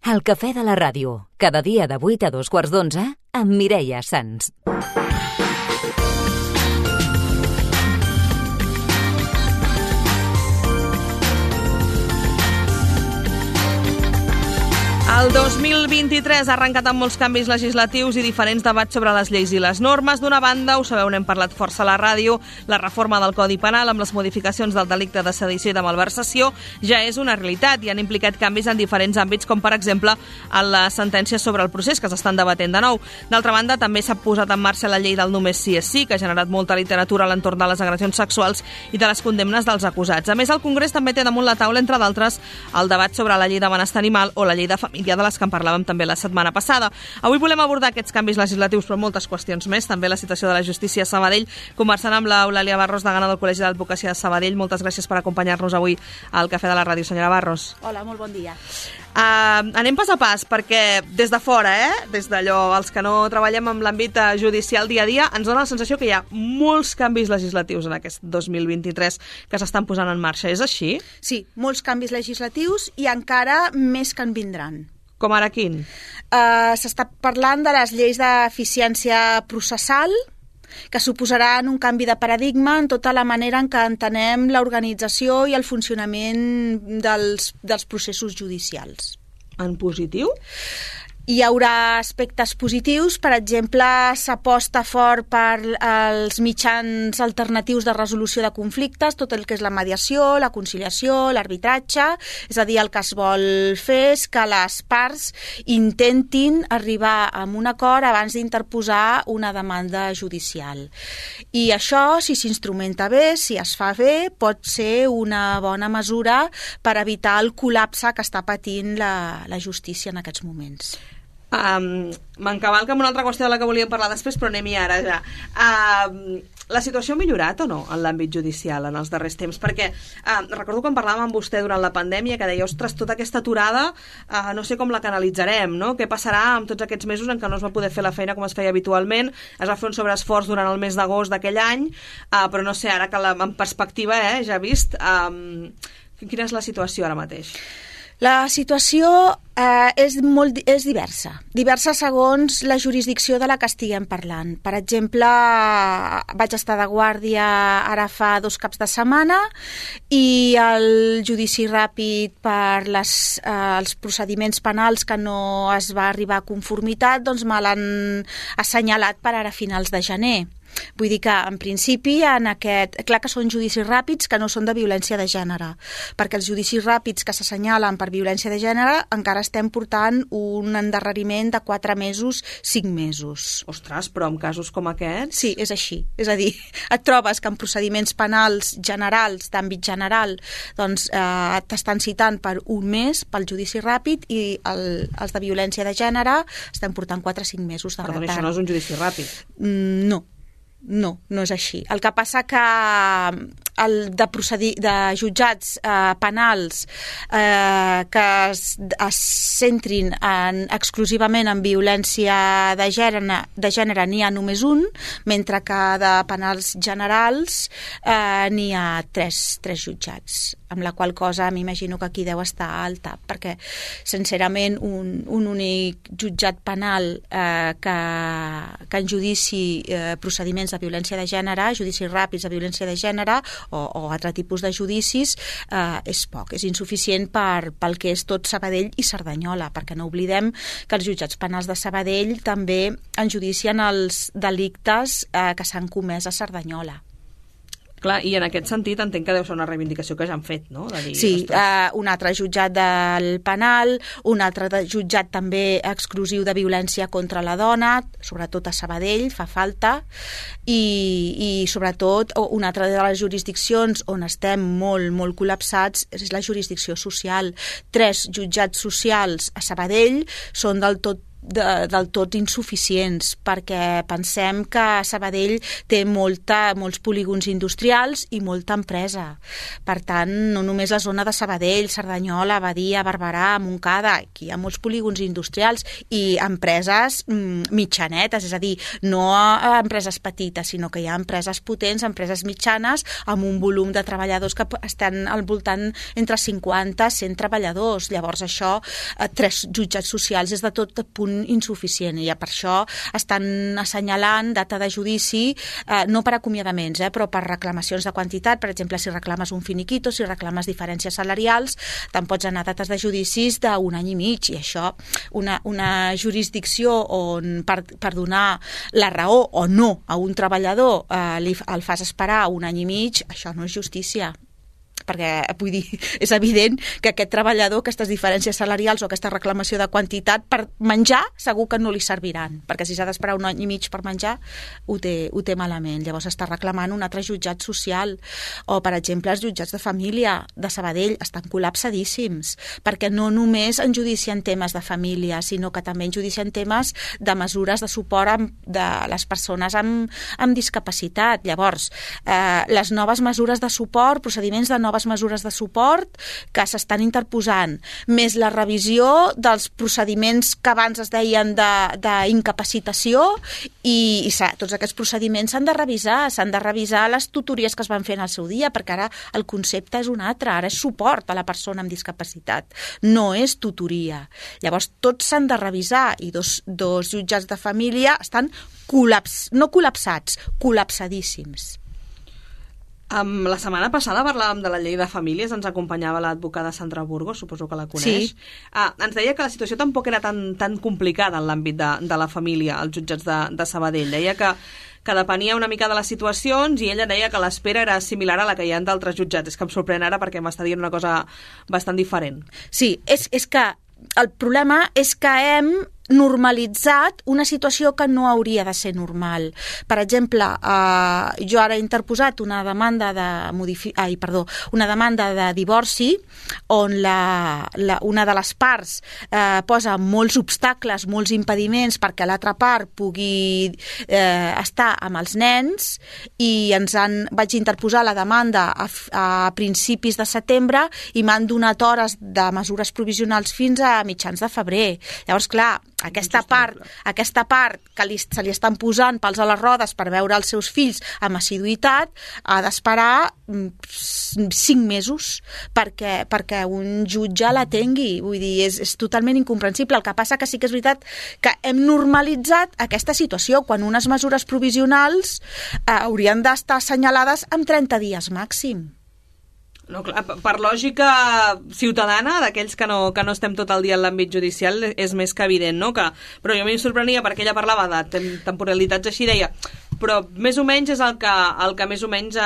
El cafè de la ràdio, cada dia de 8 a 2:15 amb Mireia Sans. El 2023 ha arrencat amb molts canvis legislatius i diferents debats sobre les lleis i les normes. D'una banda, ho sabeu, n'hem parlat força a la ràdio, la reforma del Codi Penal amb les modificacions del delicte de sedició i de malversació ja és una realitat i han implicat canvis en diferents àmbits, com per exemple en la sentència sobre el procés que s'estan debatent de nou. D'altra banda, també s'ha posat en marxa la llei del només sí és sí, que ha generat molta literatura a l'entorn de les agressions sexuals i de les condemnes dels acusats. A més, el Congrés també té damunt la taula, entre d'altres, el debat sobre la llei de benestar animal o la llei de família, de les que en parlàvem també la setmana passada. Avui volem abordar aquests canvis legislatius, però moltes qüestions més, també la situació de la justícia a Sabadell, conversant amb l'Eulàlia Barros, degana del Col·legi d'Advocacia de Sabadell. Moltes gràcies per acompanyar-nos avui al Cafè de la Ràdio, senyora Barros. Hola, molt bon dia. Anem pas a pas, perquè des de fora, des d'allò, els que no treballem en l'àmbit judicial dia a dia, ens dona la sensació que hi ha molts canvis legislatius en aquest 2023 que s'estan posant en marxa. És així? Sí, molts canvis legislatius i encara més que en vindran. Com ara quin? S'està parlant de les lleis d'eficiència processal, que suposaran un canvi de paradigma en tota la manera en què entenem l'organització i el funcionament dels processos judicials. En positiu? Hi haurà aspectes positius, per exemple, s'aposta fort per els mitjans alternatius de resolució de conflictes, tot el que és la mediació, la conciliació, l'arbitratge, és a dir, el que es vol fer és que les parts intentin arribar a un acord abans d'interposar una demanda judicial. I això, si s'instrumenta bé, si es fa bé, pot ser una bona mesura per evitar el col·lapse que està patint la justícia en aquests moments. M'encavalca amb una altra qüestió de la que volíem parlar després, però anem-hi ara ja. La situació ha millorat o no en l'àmbit judicial en els darrers temps? Perquè recordo quan parlàvem amb vostè durant la pandèmia que deia, ostres, tota aquesta aturada no sé com la canalitzarem, no? Què passarà amb tots aquests mesos en què no es va poder fer la feina com es feia habitualment? Es va fer un sobreesforç durant el mes d'agost d'aquell any, però no sé, ara que en perspectiva ja vist, quina és la situació ara mateix? La situació és diversa segons la jurisdicció de la que estiguem parlant. Per exemple, vaig estar de guàrdia ara fa 2 caps de setmana i el judici ràpid per els procediments penals que no es va arribar a conformitat, doncs me l'han assenyalat per ara a finals de gener. Vull dir que, en principi, clar que són judicis ràpids que no són de violència de gènere, perquè els judicis ràpids que s'assenyalen per violència de gènere encara estem portant un endarreriment de 4 mesos, 5 mesos. Ostres, però en casos com aquests? Sí, és així. És a dir, et trobes que en procediments penals generals, d'àmbit general, doncs t'estan citant per un mes pel judici ràpid i els de violència de gènere estem portant 4-5 mesos de retard. Perdó, això no és un judici ràpid? No és així. El que passa que de jutjats penals que es centrin exclusivament en violència de gènere n'hi ha només un, mentre que de penals generals n'hi ha 3 jutjats, amb la qual cosa m'imagino que aquí deu estar al tap, perquè sincerament un únic jutjat penal que en judici procediments de violència de gènere, judicis ràpids de violència de gènere o altre tipus de judicis, és poc, és insuficient pel que és tot Sabadell i Cerdanyola, perquè no oblidem que els jutjats penals de Sabadell també enjudicien els delictes que s'han comès a Cerdanyola. Clar, i en aquest sentit entenc que deu ser una reivindicació que ja han fet, no? De dir, sí, un altre jutjat del penal, un altre jutjat també exclusiu de violència contra la dona, sobretot a Sabadell, fa falta, i sobretot una altra de les jurisdiccions on estem molt col·lapsats és la jurisdicció social. 3 jutjats socials a Sabadell són del tot del tot insuficients, perquè pensem que Sabadell té molts polígons industrials i molta empresa. Per tant, no només la zona de Sabadell, Cerdanyola, Badia, Barberà, Montcada, aquí hi ha molts polígons industrials i empreses mitjanetes, és a dir, no empreses petites, sinó que hi ha empreses potents, empreses mitjanes, amb un volum de treballadors que estan al voltant entre 50 i 100 treballadors. Llavors això, 3 jutjats socials és de tot punt insuficient i per això estan assenyalant data de judici, no per acomiadaments, però per reclamacions de quantitat. Per exemple, si reclames un finiquito, si reclames diferències salarials, te'n pots anar a dates de judicis d'un any i mig, i això, una jurisdicció on per donar la raó o no a un treballador el fas esperar un any i mig, això no és justícia. Perquè, vull dir, és evident que aquest treballador, aquestes diferències salarials o aquesta reclamació de quantitat per menjar, segur que no li serviran, perquè si s'ha d'esperar un any i mig per menjar, ho té malament. Llavors està reclamant un altre jutjat social. O, per exemple, els jutjats de família de Sabadell estan col·lapsadíssims, perquè no només en judicien temes de família, sinó que també en judicien temes de mesures de suport de les persones amb discapacitat. Llavors, les noves mesures de suport, procediments de noves mesures de suport que s'estan interposant, més la revisió dels procediments que abans es deien d'incapacitació, i tots aquests procediments s'han de revisar les tutories que es van fer en el seu dia, perquè ara el concepte és un altre, ara és suport a la persona amb discapacitat, no és tutoria. Llavors tots s'han de revisar, i dos jutjats de família estan no col·lapsats, col·lapsadíssims. La setmana passada parlàvem de la llei de famílies, ens acompanyava l'advocada Sandra Burgos, suposo que la coneix. Sí. Ens deia que la situació tampoc era tan complicada en l'àmbit de la família, als jutjats de Sabadell. Deia que depenia una mica de les situacions, i ella deia que l'espera era similar a la que hi ha d'altres jutjats. És que em sorprèn ara perquè m'està dient una cosa bastant diferent. Sí, és que el problema és que hem normalitzat una situació que no hauria de ser normal. Per exemple, jo ara he interposat una demanda de divorci on una de les parts posa molts obstacles, molts impediments perquè l'altra part pugui estar amb els nens, i vaig interposar la demanda a principis de setembre i m'han donat hores de mesures provisionals fins a mitjans de febrer. Llavors, clar, aquesta part que se li estan posant pals a les rodes per veure els seus fills amb assiduïtat ha d'esperar 5 mesos perquè un jutge l'atengui. Vull dir, és totalment incomprensible. El que passa que sí que és veritat que hem normalitzat aquesta situació, quan unes mesures provisionals haurien d'estar assenyalades amb 30 dies màxim. No, clar, per lògica ciutadana, d'aquells que no estem tot el dia en l'àmbit judicial, és més que evident, no? Però jo m'hi sorprenia perquè ella parlava de temporalitats així, deia, però més o menys és el que més o menys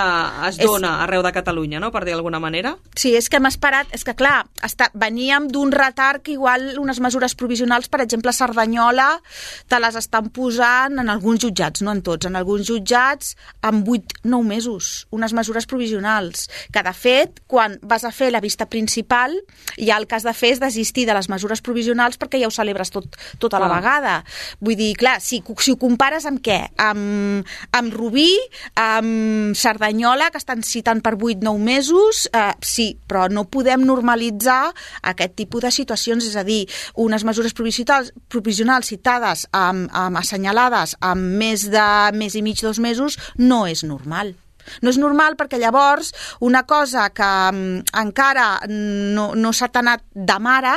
es dona arreu de Catalunya, no?, per dir d'alguna manera. Sí, és que hem esperat, és que clar, veníem d'un retard que igual unes mesures provisionals, per exemple, a Cerdanyola, te les estan posant en alguns jutjats, no en tots, en alguns jutjats amb 8-9 mesos, unes mesures provisionals, que de fet, quan vas a fer la vista principal, ja el que has de fer és desistir de les mesures provisionals perquè ja ho celebres tot a la vegada. Vull dir, clar, si ho compares amb què? Amb Rubí, amb Cerdanyola, que estan citant per 8-9 mesos, sí, però no podem normalitzar aquest tipus de situacions, és a dir, unes mesures provisionals citades, assenyalades amb més de mes i mig, 2 mesos, no és normal. No és normal perquè llavors una cosa que encara no s'ha anat de mare,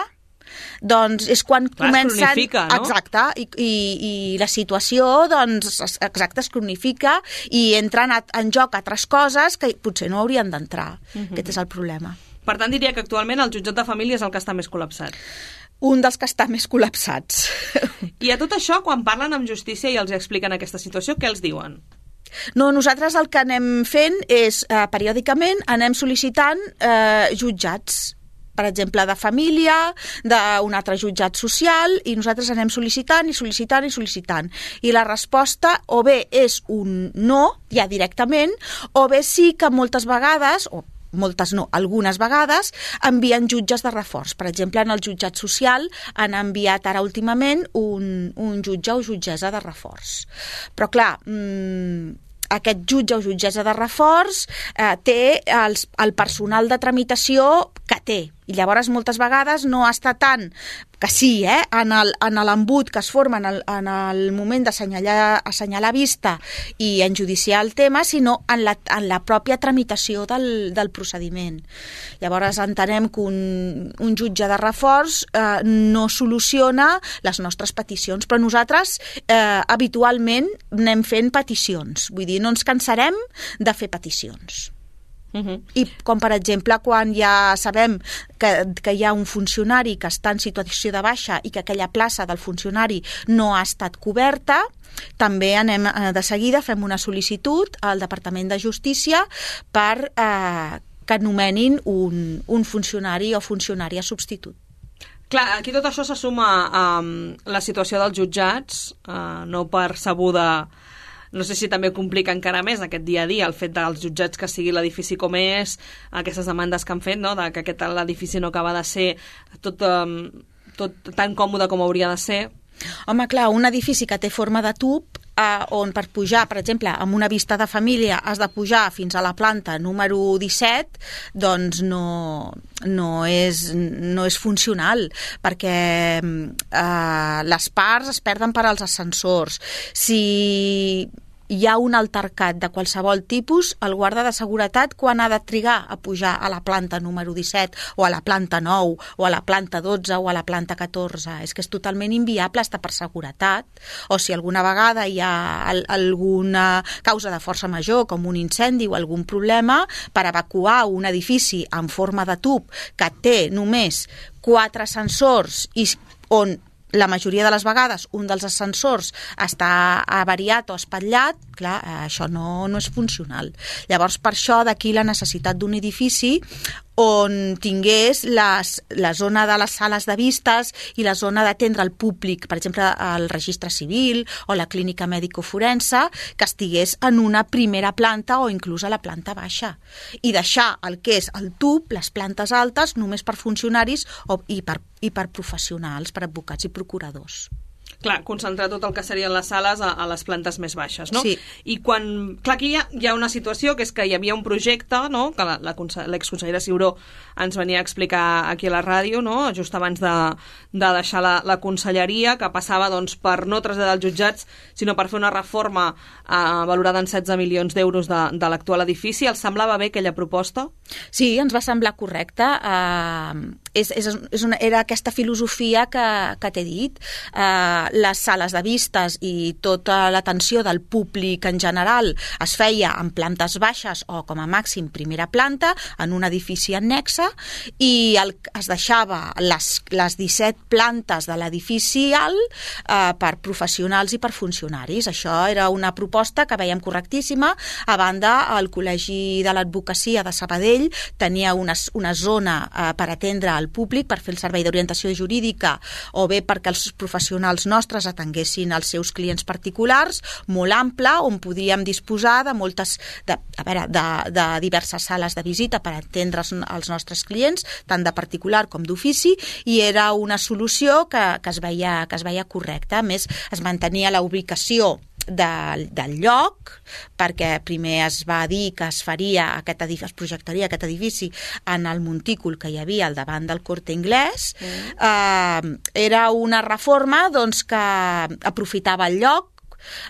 doncs és quan comencen... Es cronifica, no? Exacte, i la situació, doncs, exacte, es cronifica i entren en joc altres coses que potser no haurien d'entrar. Aquest és el problema. Per tant, diria que actualment el jutjat de família és el que està més col·lapsat. Un dels que està més col·lapsats. I a tot això, quan parlen amb justícia i els expliquen aquesta situació, què els diuen? No, nosaltres el que anem fent és, periòdicament, anem sol·licitant jutjats, per exemple, de família, d'un altre jutjat social, i nosaltres anem sol·licitant i sol·licitant i sol·licitant. I la resposta o bé és un no, ja directament, o bé sí que moltes vegades, o moltes no, algunes vegades, envien jutges de reforç. Per exemple, en el jutjat social han enviat ara últimament un jutge o jutgessa de reforç. Però clar, aquest jutge o jutgessa de reforç té el personal de tramitació que té. I llavors moltes vegades no està tant que sí, en l'embut que es forma en el moment d'assenyalar vista i enjudiciar el tema, sinó en la pròpia tramitació del procediment. Llavors entenem que un jutge de reforç no soluciona les nostres peticions, però nosaltres habitualment anem fent peticions, vull dir, no ens cansarem de fer peticions. I com per exemple quan ja sabem que hi ha un funcionari que està en situació de baixa i que aquella plaça del funcionari no ha estat coberta, també anem de seguida, fem una sol·licitud al Departament de Justícia per que nomenin un funcionari o funcionària substitut. Clar, aquí tot això se suma a la situació dels jutjats, no percebuda. No sé si també complica encara més aquest dia a dia el fet dels jutjats que sigui l'edifici com és, aquestes demandes que han fet, no? De que l'edifici no acaba de ser tot tan còmode com hauria de ser. Home, clar, un edifici que té forma de tub, on per pujar, per exemple, amb una vista de família has de pujar fins a la planta número 17, doncs no és funcional, perquè les parts es perden per als ascensors. Si hi ha un altercat de qualsevol tipus, el guarda de seguretat, quan ha de trigar a pujar a la planta número 17 o a la planta 9 o a la planta 12 o a la planta 14? És que és totalment inviable estar per seguretat. O si alguna vegada hi ha alguna causa de força major, com un incendi o algun problema, per evacuar un edifici en forma de tub que té només 4 ascensors i on la majoria de les vegades un dels ascensors està avariat o espatllat, clar, això no és funcional. Llavors, per això d'aquí la necessitat d'un edifici on tingués la zona de les sales de vistes i la zona d'atendre el públic, per exemple, el registre civil o la clínica mèdico-forense, que estigués en una primera planta o inclús a la planta baixa. I deixar el que és el tub, les plantes altes, només per funcionaris i per professionals, per advocats i procuradors. Clar, concentrar tot el que serien les sales a les plantes més baixes, no? Sí. I quan... Clar, aquí hi ha una situació que és que hi havia un projecte, no?, que l'exconsellera Ciuró ens venia a explicar aquí a la ràdio, no?, just abans de deixar la conselleria, que passava, doncs, per no traslladar els jutjats, sinó per fer una reforma valorada en 16 milions d'euros de l'actual edifici. Els semblava bé aquella proposta? Sí, ens va semblar correcte. Era aquesta filosofia que t'he dit. Les sales de vistes i tota l'atenció del públic en general es feia en plantes baixes o com a màxim primera planta en un edifici annexe i es deixava les 17 plantes de l'edifici alt per professionals i per funcionaris. Això era una proposta que veiem correctíssima. A banda, el Col·legi de l'Advocacia de Sabadell tenia una zona per atendre al públic, per fer el servei d'orientació jurídica o bé perquè els professionals nostres atenguessin els seus clients particulars, molt ampla, on podíem disposar de diverses sales de visita per atendre els nostres clients, tant de particular com d'ofici, i era una solució que es veia correcta. A més, es mantenia la ubicació del lloc, perquè primer es va dir que es projectaria aquest edifici en el montícul que hi havia al davant del Corte Inglés. Era una reforma, doncs, que aprofitava el lloc,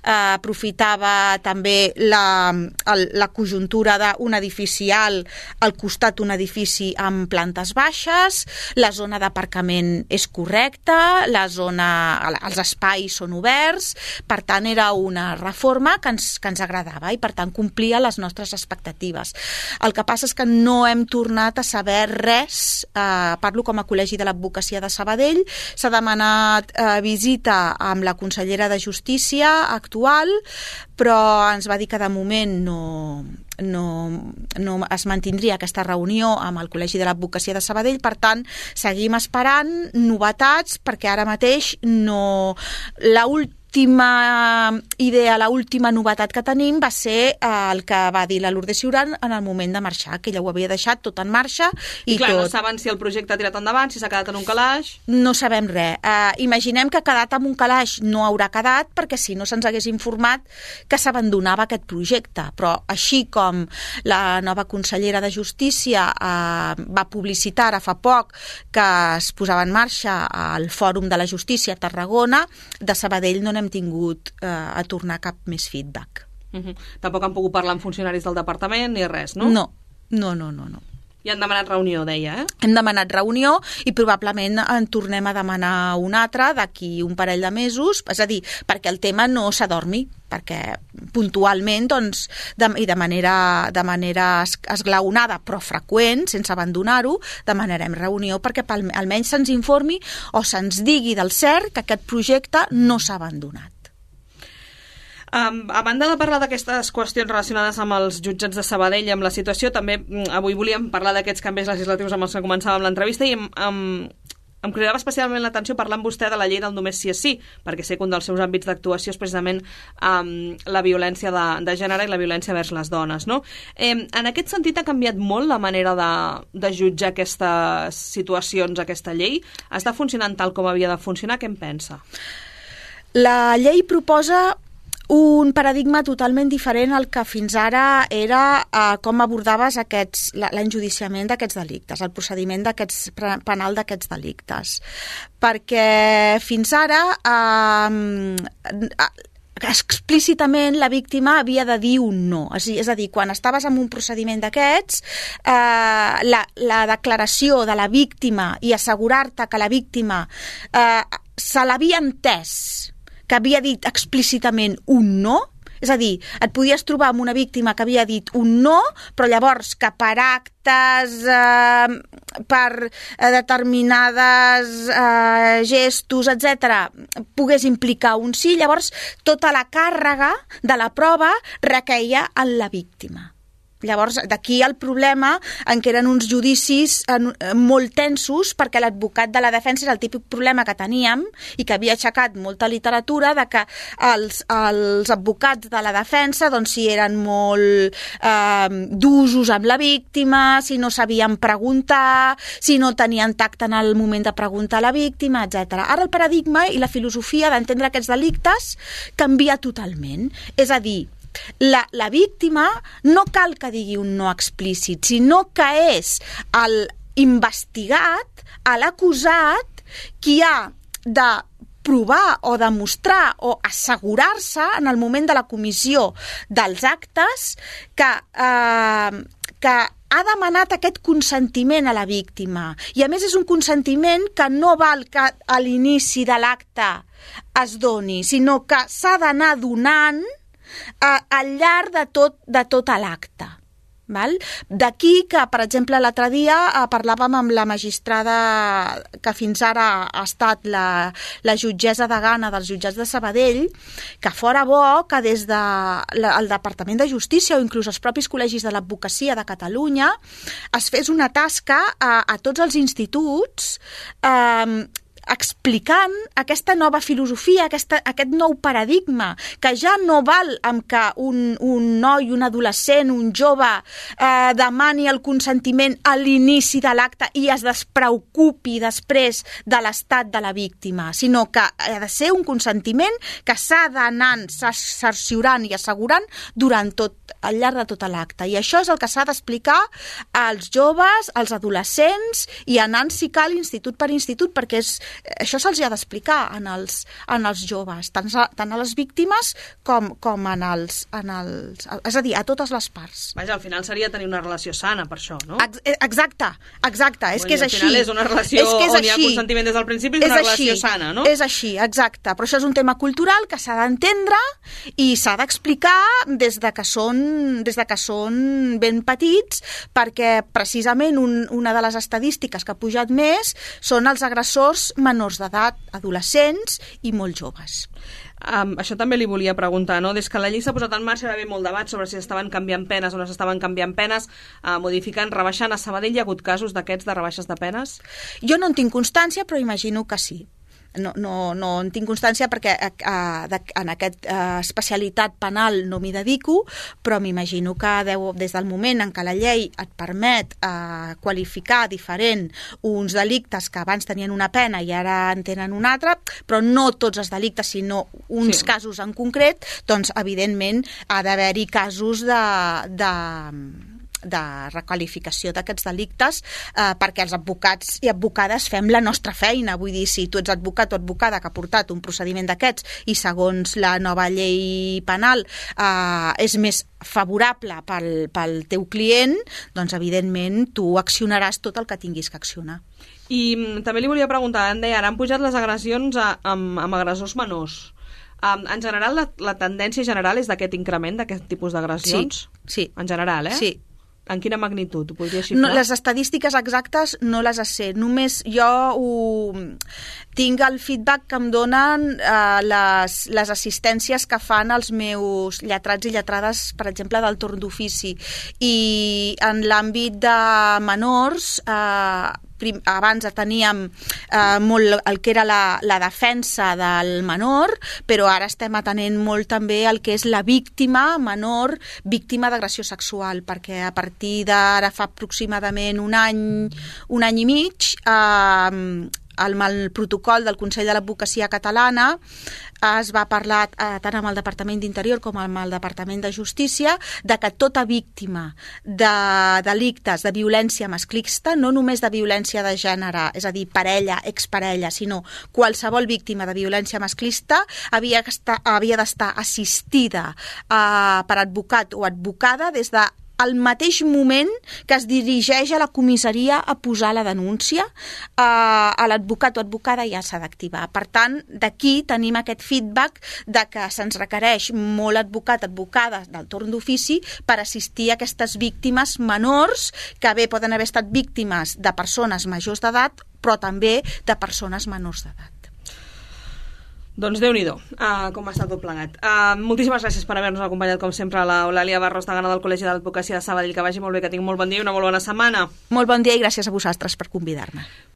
aprofitava també la conjuntura d'un edifici alt al costat d'un edifici amb plantes baixes, la zona d'aparcament és correcta, els espais són oberts, per tant era una reforma que ens agradava i per tant complia les nostres expectatives. El que passa és que no hem tornat a saber res, parlo com a Col·legi de l'Advocacia de Sabadell, s'ha demanat visita amb la consellera de Justícia actual, però ens va dir que de moment no es mantindria aquesta reunió amb el Col·legi de l'Advocacia de Sabadell. Per tant, seguim esperant novetats perquè ara mateix l'última idea, l'última novetat que tenim va ser el que va dir la Lourdes Ciurán en el moment de marxar, que ella ho havia deixat tot en marxa. I clar, no saben si el projecte ha tirat endavant, si s'ha quedat en un calaix... No sabem res. Imaginem que ha quedat en un calaix, no haurà quedat, perquè si no se'ns hagués informat que s'abandonava aquest projecte. Però així com la nova consellera de Justícia va publicitar ara fa poc que es posava en marxa el Fòrum de la Justícia a Tarragona, de Sabadell no n'hem tingut a tornar cap més feedback. Tampoc han pogut parlar amb funcionaris del departament ni res, no? No. I han demanat reunió, deia, Hem demanat reunió i probablement en tornem a demanar una altra d'aquí un parell de mesos, és a dir, perquè el tema no s'adormi, perquè puntualment doncs, i de manera esglaonada però freqüent, sense abandonar-ho, demanarem reunió perquè almenys se'ns informi o se'ns digui del cert que aquest projecte no s'ha abandonat. A banda de parlar d'aquestes qüestions relacionades amb els jutjats de Sabadell i amb la situació, també avui volíem parlar d'aquests canvis legislatius amb els que començàvem l'entrevista i em cridava especialment l'atenció parlar amb vostè de la llei del només sí és sí, perquè sé que un dels seus àmbits d'actuació és precisament la violència de gènere i la violència vers les dones, no? En aquest sentit ha canviat molt la manera de jutjar aquestes situacions, aquesta llei? Està funcionant tal com havia de funcionar? Què en pensa? La llei proposa un paradigma totalment diferent al que fins ara era com abordaves l'enjudiciament d'aquests delictes, el procediment penal d'aquests delictes. Perquè fins ara explícitament la víctima havia de dir un no. És a dir, quan estaves en un procediment d'aquests, la declaració de la víctima i assegurar-te que la víctima se l'havia entès, que havia dit explícitament un no, és a dir, et podies trobar amb una víctima que havia dit un no, però llavors que per actes, per determinades gestos, etc., pogués implicar un sí, llavors tota la càrrega de la prova requeia en la víctima. Llavors, d'aquí el problema en què eren uns judicis molt tensos, perquè l'advocat de la defensa és el típic problema que teníem i que havia aixecat molta literatura de que els advocats de la defensa, doncs, si eren molt d'usos amb la víctima, si no sabien preguntar, si no tenien tacte en el moment de preguntar a la víctima, etc. Ara el paradigma i la filosofia d'entendre aquests delictes canvia totalment. És a dir, la víctima no cal que digui un no explícit, sinó que és l'investigat, l'acusat, qui ha de provar o demostrar o assegurar-se en el moment de la comissió dels actes que ha demanat aquest consentiment a la víctima. I a més és un consentiment que no val que a l'inici de l'acte es doni, sinó que s'ha d'anar donant al llarg de tot l'acte. D'aquí que, per exemple, l'altre dia parlàvem amb la magistrada que fins ara ha estat la jutgessa degana dels jutjats de Sabadell, que fora bo que des del Departament de Justícia o inclús els propis col·legis de l'advocacia de Catalunya es fes una tasca a tots els instituts explicant aquesta nova filosofia, aquest nou paradigma, que ja no val amb que un noi, un adolescent, un jove demani el consentiment a l'inici de l'acte i es despreocupi després de l'estat de la víctima, sinó que ha de ser un consentiment que s'ha d'anar cerciorant i assegurant al llarg de tot l'acte. I això és el que s'ha d'explicar als joves, als adolescents i anant, si cal, institut per institut, perquè això se'ls ha d'explicar en els joves, tant a les víctimes com en els... És a dir, a totes les parts. Vaja, al final seria tenir una relació sana per això, no? Exacte. És que és així. Al final és una relació on hi ha consentiment des del principi, és una relació sana, no? És així, exacte. Però això és un tema cultural que s'ha d'entendre i s'ha d'explicar des de que són ben petits, perquè precisament una de les estadístiques que ha pujat més són els agressors menors d'edat, adolescents i molt joves. Això també li volia preguntar, no? Des que la llei s'ha posat en marxa va haver molt debat sobre si s'estaven canviant penes o no s'estaven canviant penes, modificant, rebaixant. A Sabadell hi ha hagut casos d'aquests de rebaixes de penes? Jo no en tinc constància, però imagino que sí. no en tinc constància perquè en aquesta especialitat penal no m'hi dedico, però m'imagino que des del moment en què la llei et permet qualificar diferent uns delictes que abans tenien una pena i ara en tenen una altra, però no tots els delictes, sinó uns casos en concret, doncs evidentment ha d'haver-hi casos de requalificació d'aquests delictes perquè els advocats i advocades fem la nostra feina. Vull dir, si tu ets advocat o advocada que ha portat un procediment d'aquests i segons la nova llei penal és més favorable pel teu client, doncs evidentment tu accionaràs tot el que tinguis que accionar. I també li volia preguntar, em deia, ara han pujat les agressions amb agressors menors. En general, la tendència general és d'aquest increment d'aquest tipus d'agressions? Sí. En general, Sí. En quina magnitud? Ho podria xifrar? No, les estadístiques exactes no les sé. Només jo tinc el feedback que em donen les assistències que fan els meus lletrats i lletrades, per exemple, del torn d'ofici. I en l'àmbit de menors, abans teníem molt el que era la defensa del menor, però ara estem atenent molt també el que és la víctima menor, víctima d'agressió sexual, perquè a partir d'ara fa aproximadament un any i mig, amb el protocol del Consell de l'Advocacia Catalana es va parlar tant amb el Departament d'Interior com amb el Departament de Justícia de que tota víctima de delictes de violència masclista, no només de violència de gènere, és a dir, parella, exparella, sinó qualsevol víctima de violència masclista havia d'estar assistida per advocat o advocada des de al mateix moment que es dirigeix a la comissaria a posar la denúncia, a l'advocat o advocada ja s'ha d'activar. Per tant, d'aquí tenim aquest feedback de que se'ns requereix molt advocat, advocada del torn d'ofici per assistir a aquestes víctimes menors que bé poden haver estat víctimes de persones majors d'edat, però també de persones menors d'edat. Doncs Déu-n'hi-do, com està tot plegat. Moltíssimes gràcies per haver-nos acompanyat, com sempre, l'Eulàlia Barros, degana del Col·legi d'Advocacia de Sabadell. Que vagi molt bé, que tingui molt bon dia i una molt bona setmana. Molt bon dia i gràcies a vosaltres per convidar-me.